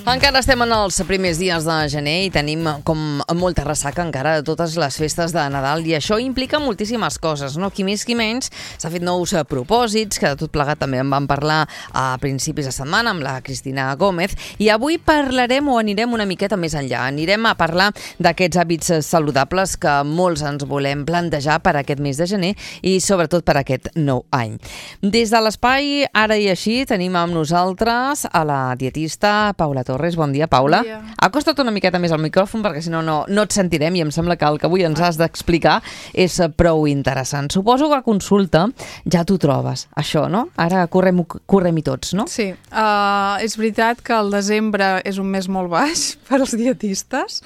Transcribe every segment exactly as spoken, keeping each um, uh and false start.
Encara estem en els primers dies de gener i tenim com molta ressaca encara de totes les festes de Nadal i això implica moltíssimes coses, no? Qui més qui menys s'ha fet nous propòsits, que de tot plegat també en vam parlar a principis de setmana amb la Cristina Gómez, i avui parlarem o anirem una miqueta més enllà. Anirem a parlar d'aquests hàbits saludables que molts ens volem plantejar per aquest mes de gener i sobretot per aquest nou any. Des de l'espai Ara i Així tenim amb nosaltres a la dietista Paula Torres. Bon dia, Paula. Bon dia. Acosta't una miqueta més al micròfon perquè si no, no no et sentirem i em sembla que el que avui ens has d'explicar és prou interessant. Suposo que a consulta ja t'ho trobes, això, no? Ara correm, correm-hi tots, no? Sí, uh, és veritat que el desembre és un mes molt baix per als dietistes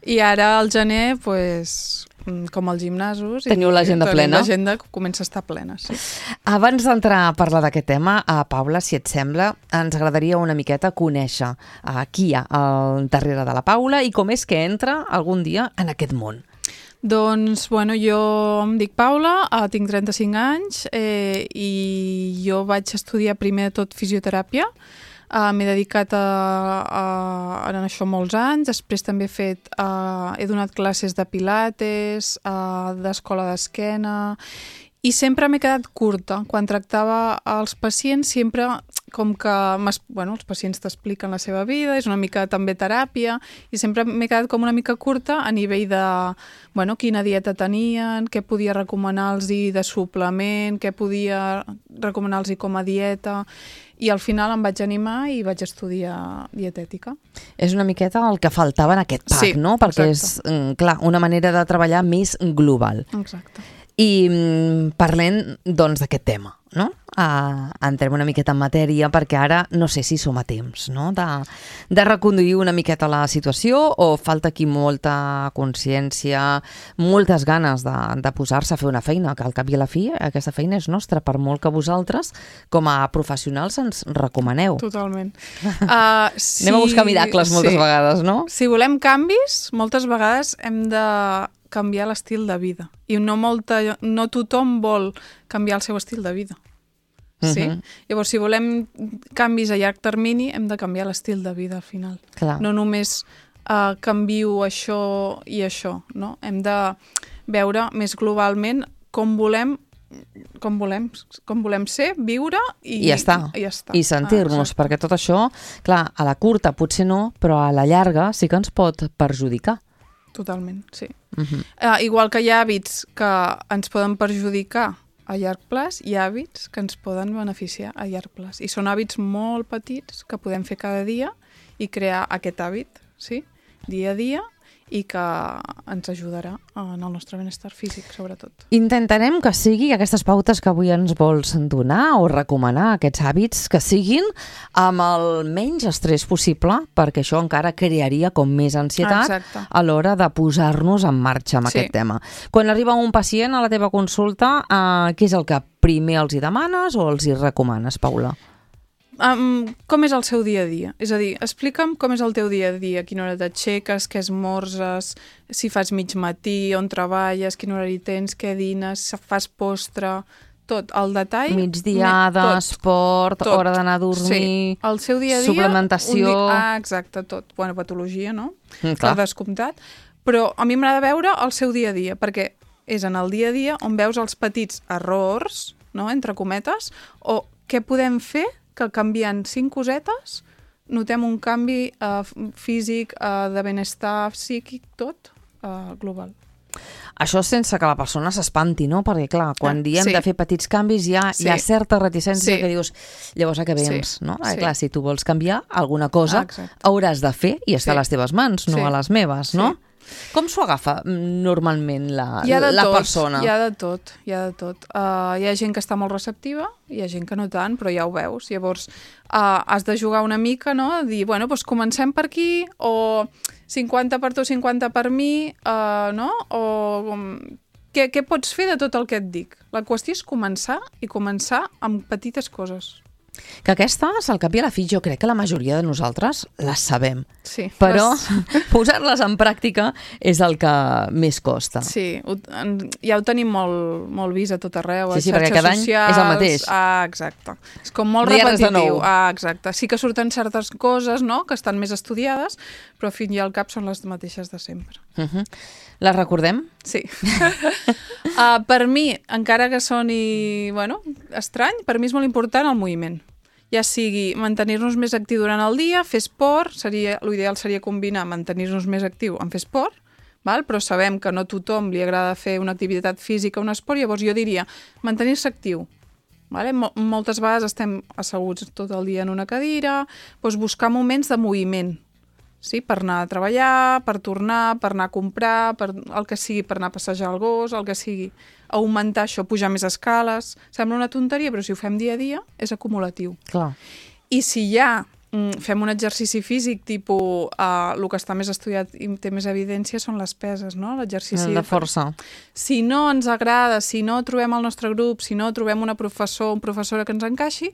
i ara al gener, pues, com els gimnasos... Teniu l'agenda plena? L'agenda comença a estar plena, sí. Abans d'entrar a parlar d'aquest tema, a Paula, si et sembla, ens agradaria una miqueta conèixer uh, qui hi ha al darrere de la Paula i com és que entra algun dia en aquest món. Doncs, bueno, jo em dic Paula, uh, tinc trenta-cinc anys eh, i jo vaig estudiar primer de tot fisioteràpia. Uh, m'he dedicat a, a, a això molts anys, després també he fet, uh, he donat classes de pilates, uh, d'escola d'esquena, i sempre m'he quedat curta. Quan tractava els pacients, sempre com que bueno, els pacients t'expliquen la seva vida, és una mica també teràpia, i sempre m'he quedat com una mica curta a nivell de bueno, quina dieta tenien, què podia recomanar-los de suplement, què podia recomanar-los com a dieta, i al final em vaig animar i vaig estudiar dietètica. És una miqueta el que faltava en aquest pack, sí, no? Perquè exacte. És, clar, una manera de treballar més global. Exacte. I mm, parlem, doncs, d'aquest tema, no? Uh, entrem una miqueta en matèria perquè ara no sé si som a temps, no? De, de reconduir una miqueta la situació o falta aquí molta consciència, moltes ganes de, de posar-se a fer una feina, que al cap i a la fi aquesta feina és nostra, per molt que vosaltres com a professionals ens recomaneu. Totalment. Uh, si... Anem a buscar miracles moltes sí. vegades, no? Si volem canvis, moltes vegades hem de canviar l'estil de vida. I no, molta, no tothom vol canviar el seu estil de vida. Sí? Uh-huh. Llavors, si volem canvis a llarg termini, hem de canviar l'estil de vida al final. Clar. No només uh, canvio això i això, no? Hem de veure més globalment com volem com volem, com volem ser, viure i, I ja està. I, ja està. I sentir-nos, ah, perquè tot això, clar, a la curta potser no, però a la llarga sí que ens pot perjudicar. Totalment, sí. Uh-huh. Uh, igual que hi ha hàbits que ens poden perjudicar a llarg plaç, hi ha hàbits que ens poden beneficiar a llarg plaç. I són hàbits molt petits que podem fer cada dia i crear aquest hàbit, sí? Dia a dia, i que ens ajudarà en el nostre benestar físic, sobretot. Intentarem que sigui aquestes pautes que avui ens vols donar o recomanar, aquests hàbits, que siguin amb el menys estrès possible, perquè això encara crearia com més ansietat Exacte. A l'hora de posar-nos en marxa amb Sí. aquest tema. Quan arriba un pacient a la teva consulta, eh, què és el que primer els hi demanes o els hi recomanes, Paula? Um, com és el seu dia a dia? És a dir, explica'm com és el teu dia a dia, a quina hora t'aixeques, què esmorzes, si fas mig matí, on treballes, quin horari tens, què dines, si fas postre, tot, el detall... Migdiada, tot, esport, tot. hora d'anar a dormir... Sí, el seu dia a dia... suplementació... Un dia, ah, exacte, tot. Bueno, patologia, no? Mm, clar. Per descomptat. Però a mi m'agrada veure el seu dia a dia, perquè és en el dia a dia on veus els petits errors, no?, entre cometes, o què podem fer que canviant cinc cosetes notem un canvi uh, físic, uh, de benestar psíquic, tot uh, global. Això sense que la persona s'espanti, no? Perquè, clar, quan diem sí. de fer petits canvis hi ha, Sí. hi ha certa reticència Sí. que dius, llavors a què vens, Sí. no? Eh, Sí. clar, si tu vols canviar alguna cosa, Exacte. hauràs de fer i està Sí. a les teves mans, no Sí. a les meves, no? Sí. Com s'ho agafa normalment la, Hi ha de la tot, persona? Hi ha de tot, hi ha de tot. Uh, hi ha gent que està molt receptiva, hi ha gent que no tant, però ja ho veus. Llavors, uh, has de jugar una mica, no? Dir, bueno, doncs comencem per aquí, o cinquanta per tu, cinquanta per mi, uh, no? O um, què, què pots fer de tot el que et dic? La qüestió és començar i començar amb petites coses. Que aquestes, al cap i a la fi, jo crec que la majoria de nosaltres les sabem. Sí. Però Les... posar-les en pràctica és el que més costa. Sí, ho, en, ja ho tenim molt, molt vist a tot arreu, sí, a sí, xarxes cada socials... any és el mateix. Ah, exacte. És com molt no repetitiu. Ah, exacte. Sí que surten certes coses, no?, que estan més estudiades, però al fin i al cap són les mateixes de sempre. Uh -huh. Les recordem? Sí. uh, per mi, encara que soni, bueno, estrany, per mi és molt important el moviment. Ja sigui mantenir-nos més actiu durant el dia, fer esport, seria, l'ideal seria combinar mantenir-nos més actiu amb fer esport, val? Però sabem que no a tothom li agrada fer una activitat física o un esport, llavors jo diria mantenir-se actiu. Vale? Moltes vegades estem asseguts tot el dia en una cadira, doncs buscar moments de moviment, sí? Per anar a treballar, per tornar, per anar a comprar, per el que sigui, per anar a passejar el gos, el que sigui. Augmentar això, pujar més escales. Sembla una tonteria, però si ho fem dia a dia és acumulatiu. Clar. I si ja mm, fem un exercici físic, tipus, uh, el que està més estudiat i té més evidència són les peses, no? L'exercici de força. Si no ens agrada, si no trobem el nostre grup, si no trobem una professor o una professora que ens encaixi,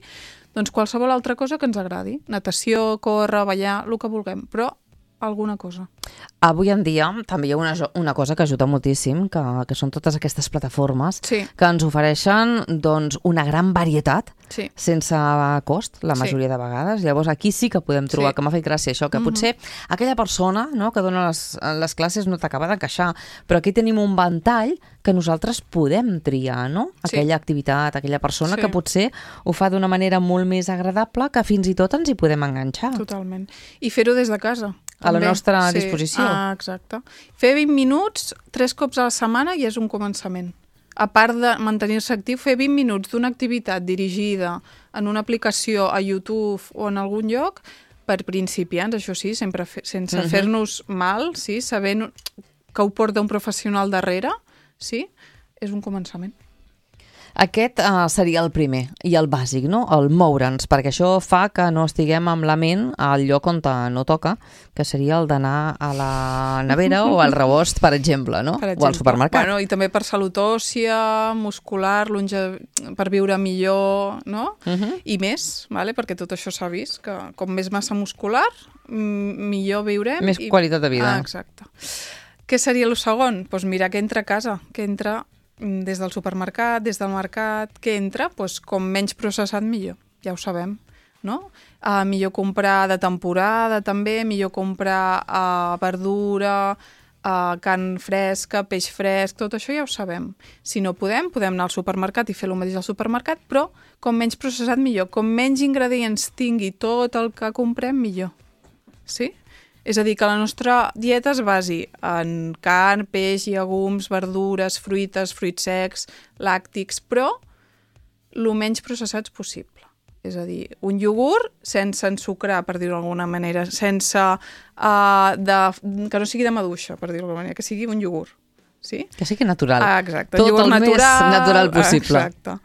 doncs qualsevol altra cosa que ens agradi. Natació, córrer, ballar, el que vulguem, però alguna cosa. Avui en dia també hi ha una, una cosa que ajuda moltíssim, que, que són totes aquestes plataformes sí. que ens ofereixen doncs, una gran varietat sí. sense cost, la majoria sí. de vegades. Llavors aquí sí que podem trobar, sí. que m'ha fet gràcia això, que mm-hmm. potser aquella persona, no, que dona les, les classes no t'acaba d'encaixar, però aquí tenim un ventall que nosaltres podem triar, no? Aquella sí. activitat, aquella persona sí. que potser ho fa d'una manera molt més agradable que fins i tot ens hi podem enganxar. Totalment. I fer-ho des de casa. A la també. nostra sí. disposició. Ah, exacte. Fer vint minuts, tres cops a la setmana ja és un començament. A part de mantenir-se actiu, fer vint minuts d'una activitat dirigida en una aplicació a YouTube o en algun lloc, per principiants, això sí, sempre fe, sense uh-huh. fer-nos mal, sí, sabent que ho porta un professional darrere, sí, és un començament. Aquest uh, seria el primer i el bàsic, no? El moure'ns, perquè això fa que no estiguem amb la ment al lloc on no toca, que seria el d'anar a la nevera o al rebost, per exemple, no? Per exemple. O al supermercat. Bueno, i també per salut òssia, muscular, longe... per viure millor, no? Uh-huh. I més, vale? Perquè tot això s'ha vist, que com més massa muscular, millor viurem. Més i... qualitat de vida. Ah, exacte. Què seria el segon? Doncs pues mirar què entra a casa, què entra des del supermercat, des del mercat, què entra, doncs com menys processat millor, ja ho sabem, no? Uh, millor comprar de temporada també, millor comprar uh, verdura, uh, carn fresca, peix fresc, tot això ja ho sabem. Si no podem, podem anar al supermercat i fer el mateix al supermercat, però com menys processat millor, com menys ingredients tingui tot el que comprem millor, sí? És a dir, que la nostra dieta es basi en carn, peix, llegums, verdures, fruites, fruits secs, làctics, però el menys processats possible. És a dir, un iogurt sense ensucrar, per dir-ho d'alguna manera, sense uh, de, que no sigui de maduixa, per dir-ho d'alguna manera, que sigui un iogurt. Sí? Que sigui natural. Ah, exacte. Tot el natural, més natural possible. Exacte.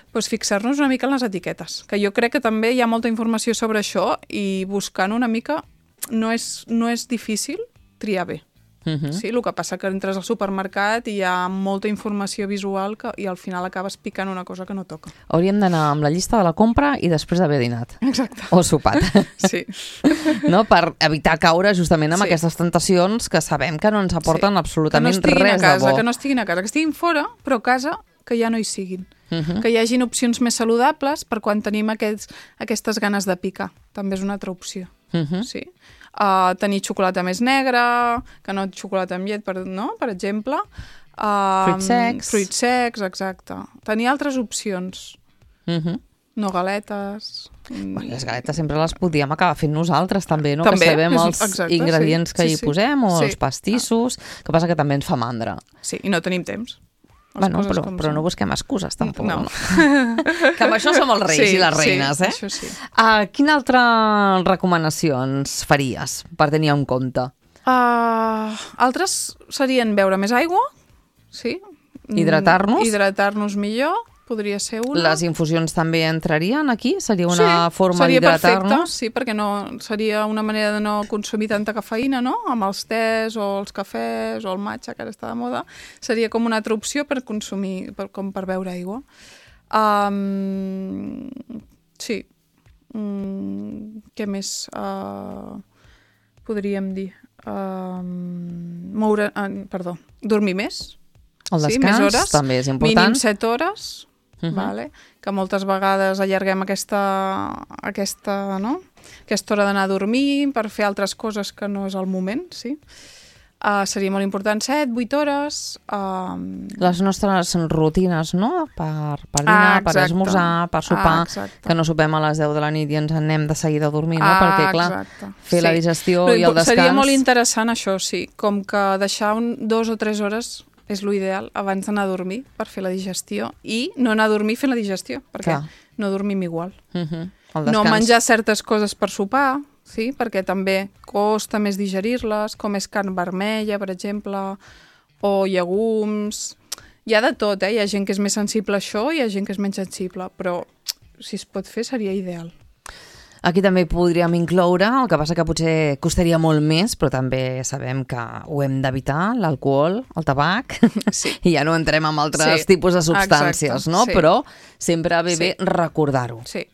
Pues fixar-nos una mica en les etiquetes, que jo crec que també hi ha molta informació sobre això i buscant una mica no és, no és difícil triar bé. Uh-huh. Sí, el que passa que entres al supermercat i hi ha molta informació visual que, i al final acabes picant una cosa que no toca. Hauríem d'anar amb la llista de la compra i després d'haver dinat. Exacte. O sopat. Sí. No? Per evitar caure justament amb sí. aquestes tentacions que sabem que no ens aporten sí. absolutament que no res casa, de bo. Que no estiguin a casa, que estiguin fora, però a casa que ja no hi siguin. Uh-huh. Que hi hagin opcions més saludables per quan tenim aquests, aquestes ganes de picar. També és una altra opció. Uh-huh. Sí. Uh, tenir xocolata més negra, que no xocolata amb llet, per, no? per exemple. Uh, fruits secs. Fruits secs, exacte. Tenir altres opcions. Uh-huh. No galetes. Bueno, les galetes sempre les podíem acabar fent nosaltres també, no? També, que sabem és, els exacte, ingredients sí, que sí, hi sí. posem o sí. els pastissos, ah. que passa que també ens fa mandra. Sí, i no tenim temps. Bueno, però, però no busquem excuses, tampoc. No. Que amb això som els reis sí, i les reines, sí, eh? Això sí. Uh, quina altra recomanació ens faries per tenir en compte? Uh, altres serien beure més aigua, sí. Hidratar-nos. Hidratar-nos millor, podria ser una. Les infusions també entrarien aquí? Seria una sí, forma d'hidratar-nos? Sí, perquè no, seria una manera de no consumir tanta cafeïna, no? Amb els tés o els cafès o el matxa, que ara està de moda. Seria com una altra opció per consumir, per, com per beure aigua. Um, sí, Mm, què més uh, podríem dir? Uh, moure, uh, perdó, dormir més. El descans sí, més hores, també és important. Mínim set hores, uh-huh. vale? Que moltes vegades allarguem aquesta, aquesta, no? aquesta hora d'anar a dormir per fer altres coses que no és el moment, sí. Uh, seria molt important set, vuit hores. Uh... Les nostres rutines, no? Per, per dinar, ah, per esmorzar, per sopar, ah, que no sopem a les deu de la nit i ens anem de seguida a dormir, no? Ah, perquè, clar, exacte. fer sí. la digestió Però, i el descans... Seria molt interessant això, sí. Com que deixar un, dos o tres hores és l'ideal abans d'anar a dormir per fer la digestió i no anar a dormir fent la digestió, perquè clar. no dormim igual. Uh-huh. No menjar certes coses per sopar, sí? Perquè també costa més digerir-les, com és carn vermella, per exemple, o llegums... Hi ha de tot, eh? Hi ha gent que és més sensible a això i hi ha gent que és menys sensible, però si es pot fer seria ideal. Aquí també podríem incloure, el que passa que potser costaria molt més, però també sabem que ho hem d'evitar, l'alcohol, el tabac, sí. i ja no entrem en altres sí. tipus de substàncies, Exacte. no? Sí. Però sempre ve bé sí. recordar-ho. Sí.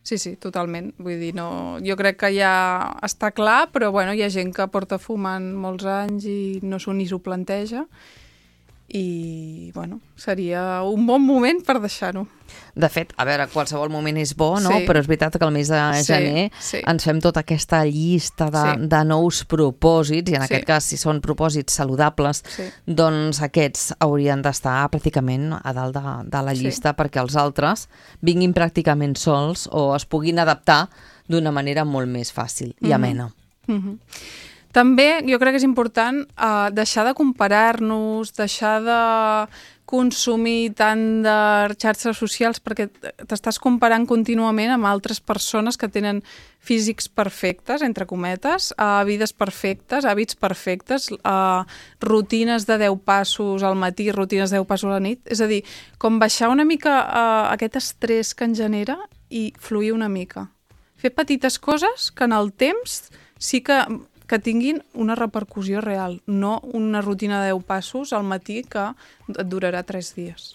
Sí, sí, totalment. Vull dir, no... jo crec que ja està clar, però bueno, hi ha gent que porta fumant molts anys i no s'ho ni s'ho planteja. I, bueno, seria un bon moment per deixar-ho. De fet, a veure, qualsevol moment és bo, no? Sí. Però és veritat que al mes de gener sí, sí. ens fem tota aquesta llista de, sí. de nous propòsits, i en sí. aquest cas, si són propòsits saludables, sí. doncs aquests haurien d'estar pràcticament a dalt de, de la llista sí. perquè els altres vinguin pràcticament sols o es puguin adaptar d'una manera molt més fàcil i amena. Mm-hmm. Mm-hmm. També jo crec que és important uh, deixar de comparar-nos, deixar de consumir tant de xarxes socials, perquè t'estàs comparant contínuament amb altres persones que tenen físics perfectes, entre cometes, uh, vides perfectes, hàbits perfectes, uh, rutines de deu passos al matí, rutines de deu passos a la nit. És a dir, com baixar una mica uh, aquest estrès que ens genera i fluir una mica. Fer petites coses que en el temps sí que... que tinguin una repercussió real, no una rutina de deu passos al matí que et durarà tres dies.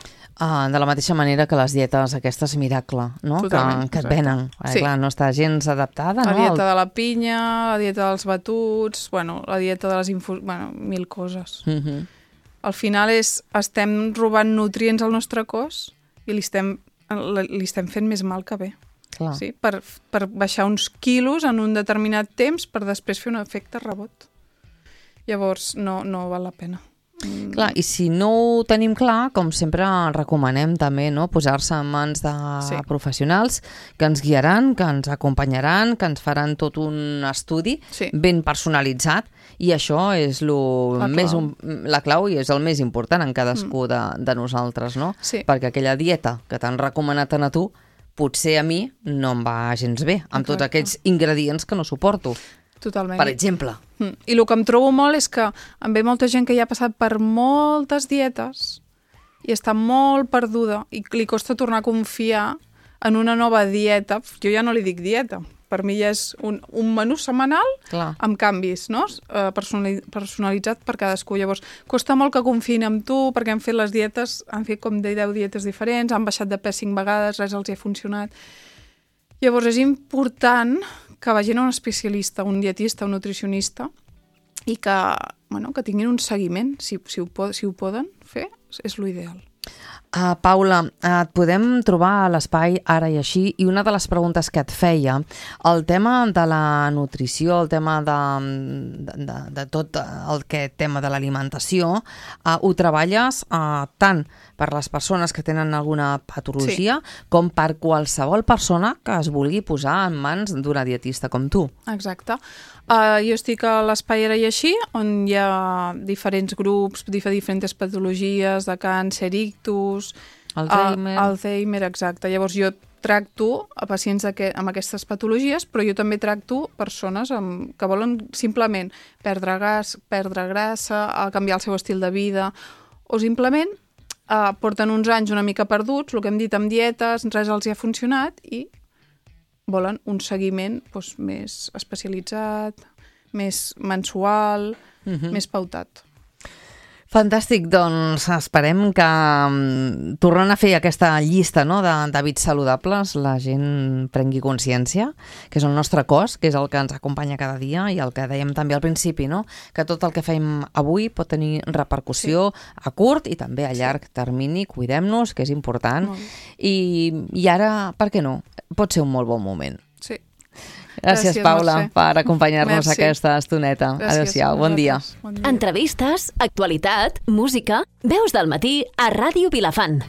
Ah, de la mateixa manera que les dietes aquestes miracle, no? Totalment, que, que et venen. Sí. Clar, no està gens adaptada, la no? La dieta de la pinya, la dieta dels batuts, bueno, la dieta de les infusions... Bueno, mil coses. Uh-huh. Al final és, estem robant nutrients al nostre cos i li estem, li estem fent més mal que bé. Clar. Sí, per, per baixar uns quilos en un determinat temps per després fer un efecte rebot. Llavors no, no val la pena. Mm. Clar, i si no ho tenim clar, com sempre recomanem també, no? Posar-se en mans de sí. professionals que ens guiaran, que ens acompanyaran, que ens faran tot un estudi sí. ben personalitzat, i això és lo la, més, clau. un, la clau i és el més important en cadascú mm. de, de nosaltres, no? Sí. Perquè aquella dieta que t'han recomanat a tu potser a mi no em va gens bé, amb Exacte. tots aquests ingredients que no suporto. Totalment. Per exemple. Mm. I el que em trobo molt és que em ve molta gent que ja ha passat per moltes dietes i està molt perduda i li costa tornar a confiar en una nova dieta. Jo ja no li dic dieta. Per mi ja és un, un menú setmanal Clar. amb canvis, no? Personalitzat per cadascú. Llavors, costa molt que confiïn amb tu perquè han fet les dietes, han fet com de deu dietes diferents, han baixat de pes cinc vegades, res els hi ha funcionat. Llavors, és important que vagin a un especialista, un dietista, un nutricionista, i que, bueno, que tinguin un seguiment, si, si, ho, si ho poden fer, és l'ideal. Uh, Paula, uh, et podem trobar a l'espai Ara i Així, i una de les preguntes que et feia, el tema de la nutrició, el tema de, de, de, de tot el que tema de l'alimentació, uh, ho treballes uh, tant per les persones que tenen alguna patologia sí. com per qualsevol persona que es vulgui posar en mans d'una dietista com tu. Exacte. Uh, jo estic a l'Espai Ara i Així, on hi ha diferents grups, diferents patologies de càncer, ictus, Alzheimer. Uh, Alzheimer, exacte. Llavors jo tracto a pacients que, amb aquestes patologies, però jo també tracto persones amb, que volen simplement perdre gas, perdre grassa, a canviar el seu estil de vida, o simplement uh, porten uns anys una mica perduts, el que hem dit amb dietes, res els hi ha funcionat i volen un seguiment doncs, més especialitzat, més mensual, uh-huh. més pautat. Fantàstic, doncs esperem que um, tornant a fer aquesta llista, no, d'hàbits saludables, la gent prengui consciència, que és el nostre cos, que és el que ens acompanya cada dia i el que dèiem també al principi, no? Que tot el que fem avui pot tenir repercussió sí. a curt i també a llarg sí. termini. Cuidem-nos, que és important. I, I ara, per què no? Pot ser un molt bon moment. Sí. Gràcies, Gràcies Paula, Mercè. per acompanyar-nos aquesta estoneta. Adéu-siau, bon dia. bon dia. Entrevistes, actualitat, música, Veus del Matí a Ràdio Vilafant.